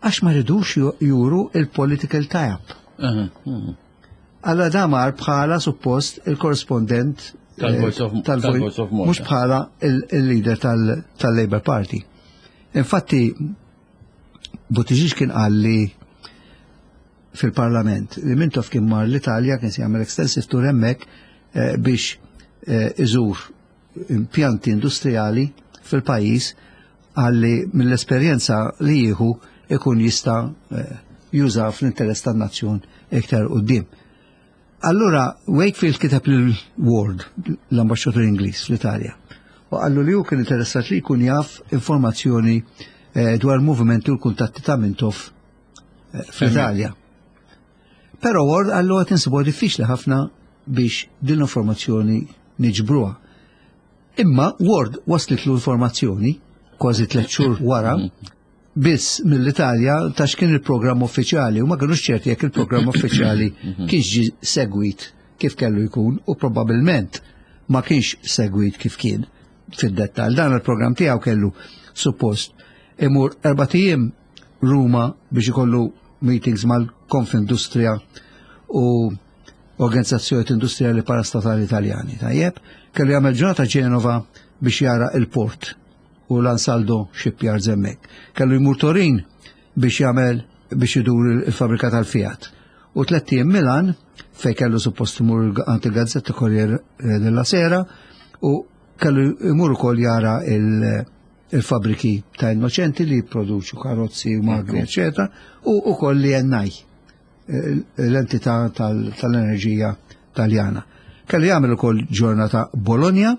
Għax ma ridux ju- juru il-political tie-up. Aha, mhm. Alla damar bħala suppost il-korrespondent Tal-Voice of- eh, tal-Voice of Malta. Mhux bħala il- il-leader tal- tal-Labour Party. Infatti, Buttigieg kien qal li fil-parlament li Mintoff kien mar l-Italja, kien se jagħmel extensive tour hemmhekk eh, biex eh, iżur impjanti industrijali fil-pajjiż, għalli mill-esperjenza li jieħu ikun jista' eh, juża fl-interess tan-nazzjon iktar quddiem. Allura Wakefield kiteb lil Ward, l-ambaxxatur Ingliż fl-Italja, u qallu li hu kien interessat li jkun jaf informazzjoni eh, dwar movimenti u l-kuntatti ta' Mintoff eh, fl-Italja. Però Ward qallu għad insibuha diffiċli ħafna biex din l-informazzjoni niġbruha. Imma Ward waslitlu informazzjoni kważi tliet xhur wara biss mill-Italja ta' x'kien il-programm uffiċjali u ma kinux ċerti jekk il-programm uffiċjali kienx ġi segwit kif kellu jkun, u probabbilment ma kienx segwit kif kien fid-dettal. Dan il-programm tiegħu kellu suppost imur erbat ijiem Ruma biex ikollu meetings mal-Konfindustria u organizzazzjonijiet industrijali parastatali Italjani. Tajjeb, kellu jagħmel ġurnata Ġenova biex jara il-port u l-Ansaldo Shipyards hemmhekk. Kellu jmur Torin biex jagħmel biex idur il-fabrika tal-Fiat. U tlett ijiem Milan fej kellu suppost imur għand il-Gazzetta Corriere della Sera u kellu jmur ukoll jara il-fabriki ta' Innoċenti li jipproduċu karozzi u magni, eccetera, u ukoll li E N I, l-entità tal-enerġija Taljana. Kellu jagħmel ukoll ġurnata Bologna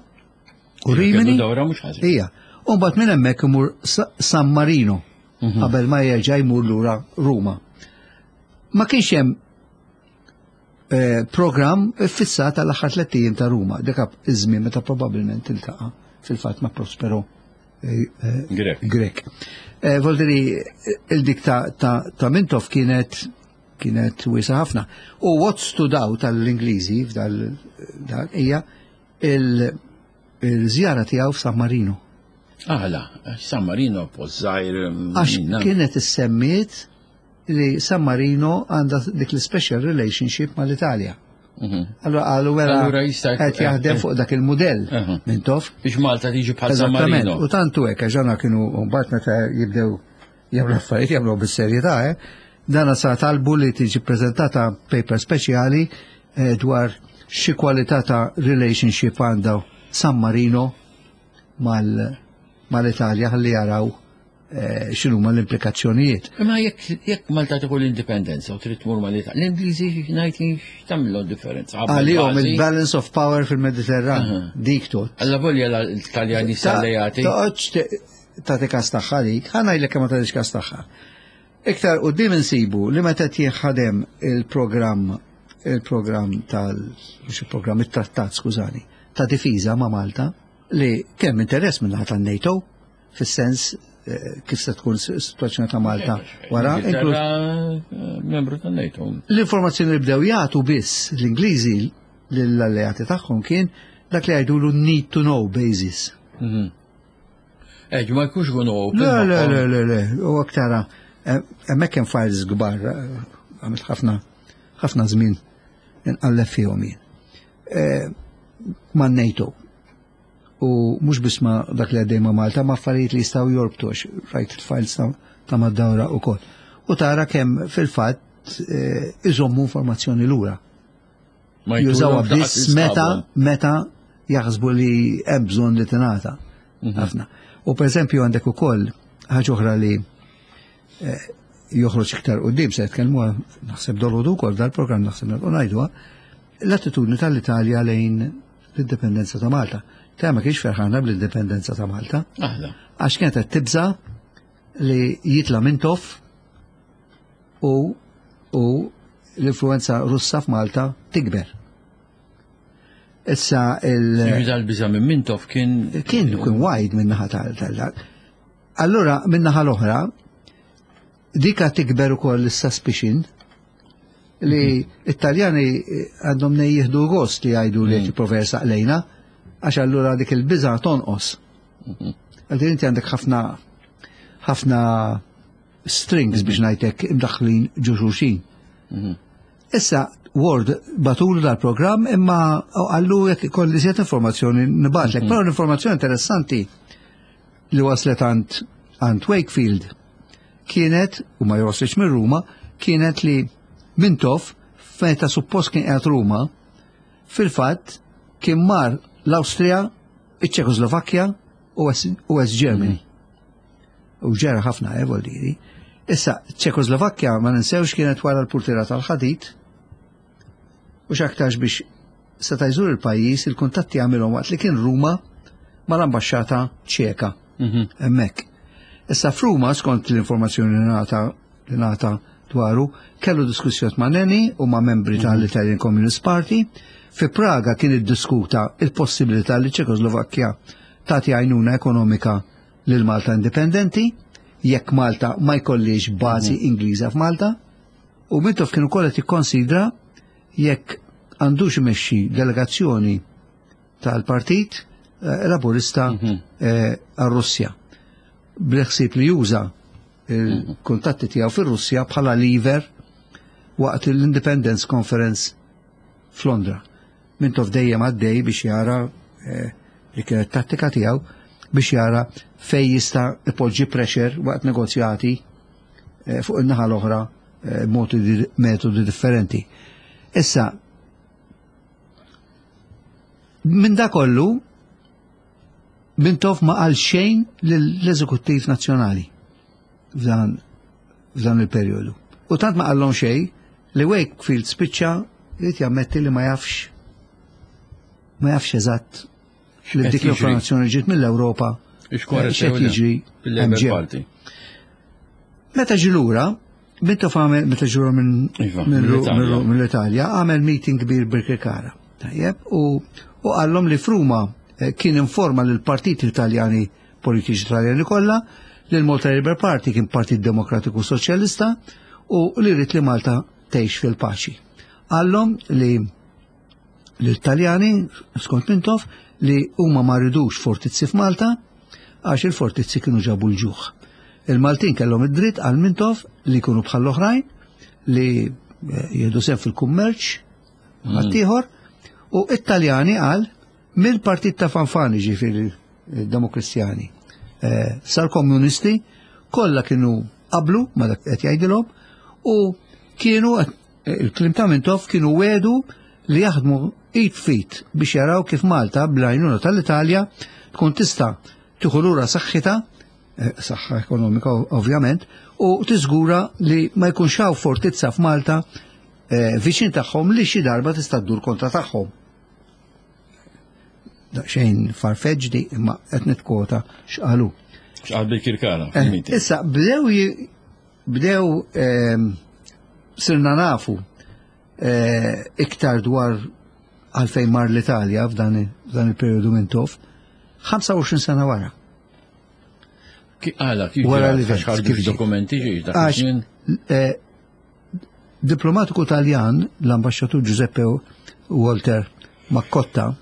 u Rimini. Dawra mhux ħażin. Ija. U mbagħad minn hemmhekk imur San Marino mhm. qabel ma jerġa' jmur lura Ruma. Ma kienx hemm eh, program fissat għal aħħar tlett ijiem ta' Ruma, dik iż-żmien meta probabbilment iltaqa' fil-fatt ma' Prospero eh, eh, Grek. Grek. Voldiri, il-dik ta' Mintoff kienet kienet wiesgħa ħafna. U what stood out tal-Ingliżi f'dal hija il-żjara tiegħu f'San Marino. Aħla, San Marino post żgħir. Għax kienet issemmiet li San Marino għandha dik l-special relationship mal-Italja. Mhm. Allora għalu vera qed jaħdem fuq dak il-mudell Mintoff. Biex Malta tiġi bħal San Marino. U tantu hekk għax kienu mbagħad meta jibdew jagħmlu affarijiet jagħmlu bis-serjetà, eh? Dana sa talbu li tiġi prezentata paper speċjali eh, dwar xi kwalità ta' relationship għandha San Marino mal-Italja ħalli jaraw eh, x'inhuma l-implikazzjonijiet. Imma jekk jekk Malta tieħu l-indipendenza u trid tmur mal-Italja, l-Ingliżi ngħid x'tagħmilhom differenza? Għalihom il-balance of power fil-Mediterran, dik tot. Alla volja l-Taljani alleati. Toqgħodx tagħti kas tagħha dik, ħa ngħidlek kemm ma tagħtix kas tagħha. Iktar quddiem insibu li meta jinħadem il-programm il-programm tal mhux il-programm, it-trattat, skużani, ta' difiża ma' Malta li kemm interess minn naħa tan-NATO fis-sens eh, kif se tkun situazzjoni ta' Malta wara. Inklus eh, membru tan-NATO. L-informazzjoni li bdew jagħtu biss l-Ingliżi lill-alleati tagħhom kien dak li jgħidulu need to know basis. Mhm. Eh, ma jkunx kunu open. Le, le, le, le, le, u aktara, hemmhekk hemm files kbar, għamilt ħafna ħafna żmien inqalleb fihom jien. Eh, Ma' NATO. U mhux biss ma' dak li għaddej ma' Malta, ma' affarijiet li jistgħu jorbtu għax rajt il-files ta' ta' mad-dawra ukoll. U tara kemm fil-fatt eh, iżommu informazzjoni lura. Ma Jużawha jtulhom biss meta meta jaħsbu li hemm bżonn li tingħata. Ħafna. U per eżempju għandek ukoll ħaġa oħra li eh, joħroġ iktar quddiem, se jitkellmu naħseb dolodu wkoll dal-programm, naħseb u ngħiduha, l-attitudni tal-Italja lejn l-indipendenza ta' Malta. Ta' ma kienx ferħana bl-indipendenza ta' Malta Aħla. għax kienet qed tibża li jitla Mintoff u u l-influenza Russa f'Malta tikber. Issa il- Jiġi dal-biża minn Mintoff kien. kien kien wide minn naħa tal tal Allura minn naħa l-oħra dika tikber ukoll is-suspicion li Italjani għandhom nej jieħdu gost li jgħidu li qed jipprova jersaq lejna, għax allura dik il-biża tonqos. Għaldi inti għandek ħafna ħafna strings, biex ngħidlek, imdaħlin ġo xulxin. Issa, Ward bagħtulu dal-programm imma għallu jekk ikolli żjed informazzjoni nibgħatlek. Però l-informazzjoni interessanti li waslet għand għand Wakefield kienet, u ma joslitx minn Ruma, kienet li Mintoff, meta suppost kien qiegħed Ruma, fil-fatt kien mar l-Awstrija, iċ-Ċekoslovakkja u West Germany. U ġera ħafna, eh, voldiri. Issa, Ċekoslovakkja ma ninsewx kienet wara l-purtira tal-ħadid u x'aktarx biex seta' jżur il-pajjiż il-kuntatti għamilhom waqt li kien Ruma mal-ambaxxata Ċeka hemmhekk. Issa f'Ruma, skont l-informazzjoni li ngħata li ngħata dwaru, kellu diskussjoni ma' Nenni u ma' membri tal-Italian Communist Party. Fi Praga kien iddiskuta il-possibilità li Ċekoslovakkja tagħti għajnuna ekonomika lil Malta Indipendenti jekk Malta ma jkollix bażi Ingliża f'Malta. U Mintoff kien ukoll qed jikkonsidra jekk għandux imexxi delegazzjoni tal-Partit eh, Laburista eh, għar-Russja. Bil-ħsieb li juża il-kuntatti tiegħu fir-Russja bħala lever waqt l-Independence Conference f'Londra. Mintoff dejjem għaddej biex jara eh, li kienet tattika tiegħu biex jara fej jista' ipoġġi pressure waqt negozjati eh, fuq in-naħa l-oħra eh, metodi, metodi differenti. Issa, minn da kollu, Mintoff ma qal xejn lill-Eżekuttiv Nazzjonali f'dan f'dan il-perjodu. U tant ma qallhom xejn li Wakefield spiċċa jrid jammetti li ma jafx ma jafx eżatt li dik l-informazzjoni ġiet mill-Ewropa x'qed jiġri fil-Labour Party. Meta ġie lura, Mintoff għamel meta ġie lura minn Iva, mill-Italja, għamel meeting kbir Birkirkara. Tajjeb, u u qallhom li f'Ruma eh, kien informa lil partit Italjani politiċi Italjani kollha li l-Malta Labour Party kien Partit Demokratiku Soċjalista u li rrid li Malta tgħix fil-paċi. Qallhom li l-Italjani, skont Mintoff, li huma ma ridux fortizzi f'Malta għax il-fortizzi kienu ġabu l-ġuħ. Il-Maltin kellhom id-dritt għal Mintoff li jkunu bħall-oħrajn li eh, jieħdu sehem fil-kummerċ ħaddieħor u Italjani qal mill-partit ta' Fanfani ġifieri Demokristjani eh, sal-komunisti kollha kienu qablu ma dak qed jgħidilhom u kienu eh, il-kliem ta' Mintoff kienu wedu li jaħdmu id f'id biex jaraw kif Malta bl-għajnuna tal-Italja tkun tista' tieħu lura saħħitha eh, saħħa ekonomika ovvjament, u tiżgura li ma jkunx hawn fortizza f'Malta eh, viċin tagħhom li xi darba tista' ddur kontra tagħhom. Daqsxejn far-fetched di imma qed nitkwota x'qalu. X'qal Birkirkara Eh, fil-meeting. Issa bdew ji- bdew ehm, sirna nafu eh, iktar dwar għalfejn mar l-Italja f'dan f'dan il-periodu Mintoff ħamsa u għoxrin sena wara. Ki- Għala, kif Wara ġrat? li Għax ħarġu kif ġi? dokumenti ġi dak Għax iż-żmien? eh, diplomatiku Taljan, l-ambasċatur Giuseppe Walter Maccotta,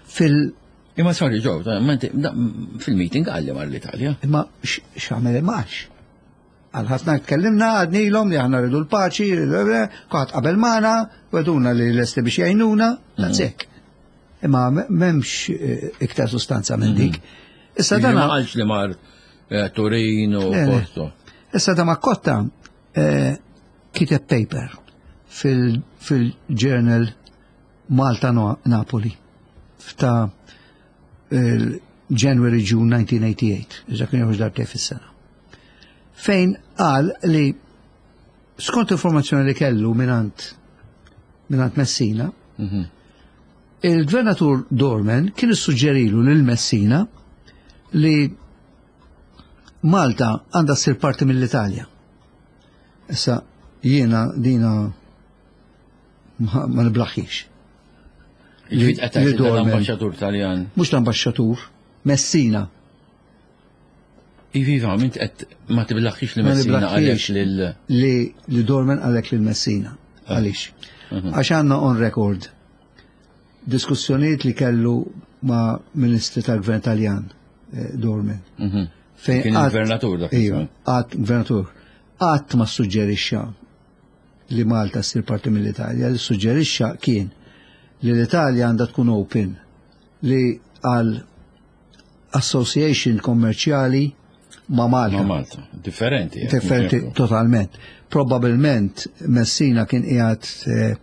fil- Imma sorry, Joe, ta' ma inti- da- fil-meeting għalli mar l-Italja. Imma x'għamel max. Għal ħafna tkellimna għadnilhom li aħna rridu l-paċi, kulħadd qabel magħna, wegħduna li lesti biex jgħinuna, that's it. Imma m'hemmx eh, iktar sustanza minn dik. Issa Ġifieri dan ma qalx li mar eh, Turin u Le, le. Porto. Issa da Maccotta eh, kiteb paper fil- fil-journal Malta No- Napoli f'ta' January June elf disa' mija u tmienja u tmenin, iżda kien joħroġ darbtejn fis-sena. Fejn qal li skont informazzjoni li kellu minant minant Messina, Mhm. il-gvernatur Dorman kien issuġġerilu lil Messina li Malta għandha ssir parti mill-Italja. Issa jiena dina ma, ma niblaħħix. Ġifieri qed li tgħid Dorman- l-ambaxxatur Taljan. Mhux l-ambaxxatur, Messina. Iva, iva, mint qed ma tiblaħħix li Ma Messina niblaħħix. għalek lil li, li Dorman għalek lil Messina. Għalix? Mhm. Għax għandna on record diskussjonijiet li kellu ma' ministri tal-gvern Taljan, eh, Dorman. Mhm. Fejn Kien qatt- il-gvernatur dak Iva, iż-żmien. qatt gvernatur. Qatt ma suġġerixxa li Malta ssir parti mill-Italja, li suġġerixxa kien li l-Italja għandha tkun open li għal association kommerċjali ma' Malta. Ma' Malta. Differenti. eh, Differenti mhux hekk. totalment. Probabilment Messina kien qiegħed eh,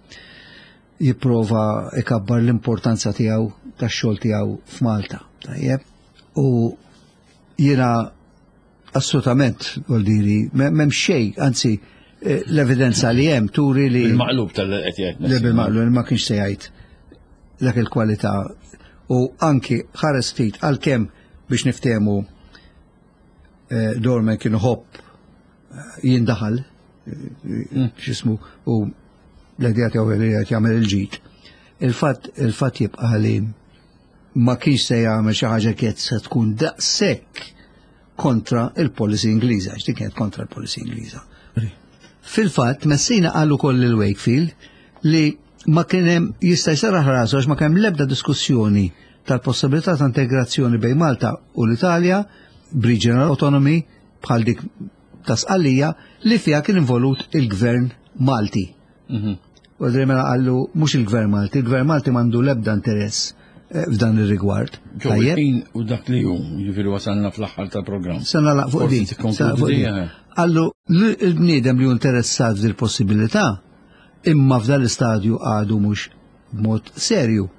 jipprova ikabbar l-importanza tiegħu tax-xogħol tiegħu f'Malta. Tajjeb. U jiena assolutament vuol diri m'hemm xejn, anzi eh, l-evidenza li hemm turi li Bil-maqlub tal-qed jgħid li Messina. bil-maqlub ma kienx se jgħid dak il-kwalità u anki ħares ftit għalkemm biex niftehmu eh, Dorman kien iħobb eh, jindaħal eh, x'ismu u l-idea tiegħu li qed jagħmel il-ġid. Il-fatt il-fatt jibqa' li ma kienx se jagħmel xi ħaġa kienet se tkun daqshekk kontra il-policy Ingliża, għax din kienet kontra l-policy Ingliża. Fil-fatt, Messina qal ukoll lil Wakefield li ma kien hemm jista' jserraħ rasu għax ma kien hemm l-ebda diskussjoni tal-possibilità ta' integrazzjoni bejn Malta u l-Italja b'regional autonomy bħal dik ta' Sqallija li fiha kien involut il-gvern Malti. Mhm. U mela qallu mhux il-Gvern Malti, il-Gvern Malti m'għandu l-ebda interess eh, f'dan ir-rigward. Ġo, Tajjeb? il-ħin u dak li hu, jiġifieri wasalna fl-aħħar tal-programm. Se nagħlaq fuq Forsi din. tikkonkludi se nagħlaq fuq di, din. eh. Qallu l-bniedem li hu interessat f'dil possibilità imma f'dan l-istadju għadu mhux b'mod serju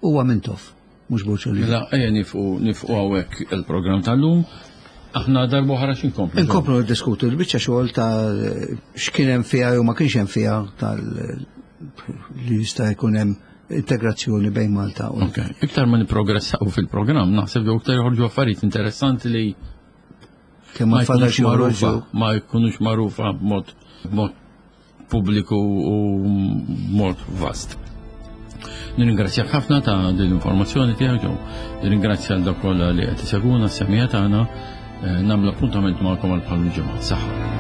huwa Mintoff, mhux Borg Olivier. Mela, ejja nieqfu nieqfu hawnhekk il-programm tal-lum. Aħna darba oħra x'inkomplu? Inkomplu niddiskutu l-biċċa xogħol ta' x'kien hemm fiha jew ma kienx hemm fiha tal li jista' jkun hemm integrazzjoni bejn Malta u Ok, iktar ma niprogressaw fil-programm, naħseb li iktar joħorġu affarijiet interessanti li kemm ma ma fadal jkunux xi magħrufa, joħorġu. ma jkunux magħrufa b'mod b'mod pubbliku u b'mod vast. Nirringrazzjak ħafna ta' din l-informazzjoni tiegħek ġew. Nirringrazzja l dawk kollha li qed isegwuna s-semija tagħna. Eh, Nagħmlu appuntament magħkom għal bħal ġimgħa. Saħħa.